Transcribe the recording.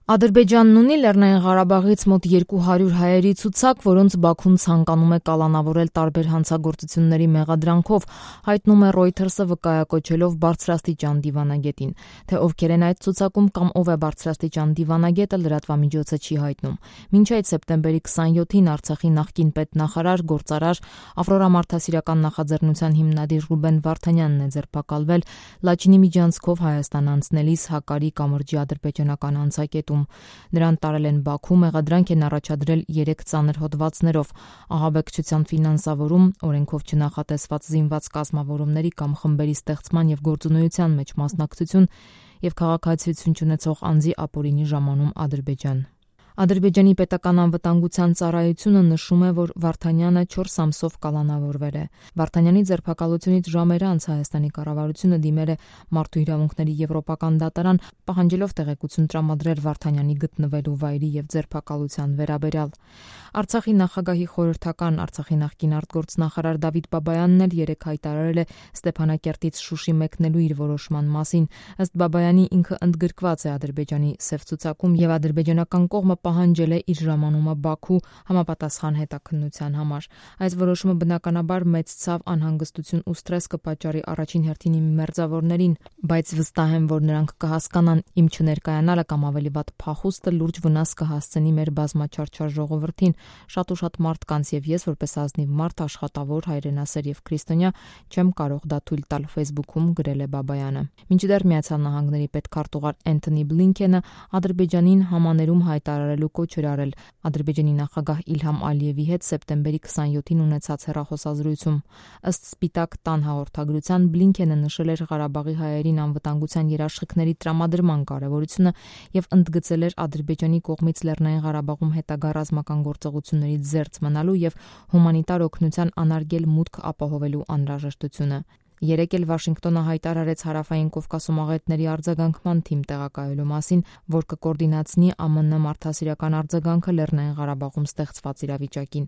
Ադրբեջանն ունի Լեռնային Ղարաբաղից մոտ 200 հայերի ցուցակ, որոնց Բաքուն ցանկանում է կալանավորել տարբեր հանցագործությունների մեղադրանքով, հայտնում է Reuters-ը վկայակոչելով բարձրաստիճան դիվանագետին։ Թե ովքեր են այդ ցուցակում կամ ով է բարձրաստիճան դիվանագետը, լրատվամիջոցը չի հայտնում։ Մինչ այդ սեպտեմբերի 27-ին Արցախի նախկին պետնախարար, գործարար, Ավրորա մարդասիրական նախաձեռնության հիմնադիր Ռուբեն Վարդանյանն է ձերբակալվել Լաչինի միջանցքով Հայաստան անցնելիս Հակարի կամրջի ադրբեջանական անցակետում։ Նրան տարել են Բաքու, մեղադրանք են առաջադրել 3 ծանր հոդվածներով՝ ահաբեկչության ֆինանսավորում, օրենքով չնախատեսված զինված կազմավորումների կամ խմբերի ստեղծման և գործունեության մեջ մասնակցություն և քաղաքացիություն չունեցող անձի ապօրինի ժամանում Ադրբեջան։ Ադրբեջանի պետական անվտանգության ծառայությունը նշում է, որ Վարդանյանը 4 ամսով կալանավորվել է։ Վարդանյանի ձերբակալությունից ժամեր անց Հայաստանի կառավարությունը դիմել է Մարդու իրավունքների եվրոպական դատարան, պահանջելով տեղեկություն տրամադրել Վարդանյանի գտնվելու վայրի և ձերբակալության վերաբերյալ։ Արցախի նախագահի խորհրդական, Արցախի նախկին արտգործնախարար Դավիթ Բաբայանն էլ երեկ հայտարարել է Ստեփանակերտից Շուշի մեկնելու իր որոշման մասին։ Ըստ Բաբայանի, ինքը ընդգրկված է Ադրբեջանի սև ցուցակում և ադրբեջանական կողմը պահանջել է իր ժամանումը Բաքու համապատասխան հետաքննության համար։ Այս որոշումը բնականաբար մեծ ցավ, անհանգստություն ու սթրես կպատճառի առաջին հերթին իմ մերձավորներին, բայց վստահ եմ, որ նրանք կհասկանան, իմ չներկայանալը կամ ավելի վատ փախուստը լուրջ վնաս կհասցնի մեր բազմաչարչար ժողովրդին, շատ ու շատ մարդկանց, և ես որպես ազնիվ մարդ, աշխատավոր, հայրենասեր և քրիստոնյա չեմ կարող դա թույլ տալ, Facebook-ում գրել է Բաբայանը։ Մինչդեռ Միացյալ Նահանգների պետքարտուղար Էնթոնի Բլինքենը Ադրբեջանին համաներում հայտարարելու կոչ էր արել Ադրբեջանի նախագահ Իլհամ Ալիևի հետ սեպտեմբերի 27-ին ունեցած հեռախոսազրույցում։ Ըստ Սպիտակ տան հաղորդագրության, Բլինքենը նշել էր Ղարաբաղի հայերին անվտանգության երաշխիքների տրամադրման կարևորությունը և ընդգծել էր Ադրբեջանի կողմից Լեռնային Ղարաբաղում հետագա ռազմական գործողություններից զերծ մնալու և հումանիտար օգնության անարգել մուտք ապահովելու անհրաժեշտությունը։ Երեկ էլ Վաշինգտոնը հայտարարեց Հարավային Կովկասում աղետների արձագանքման թիմ տեղակայելու մասին, որ կկոորդինացնի ԱՄՆ մարդասիրական արձագանքը Լեռնային Ղարաբաղում ստեղծված իրավիճակին։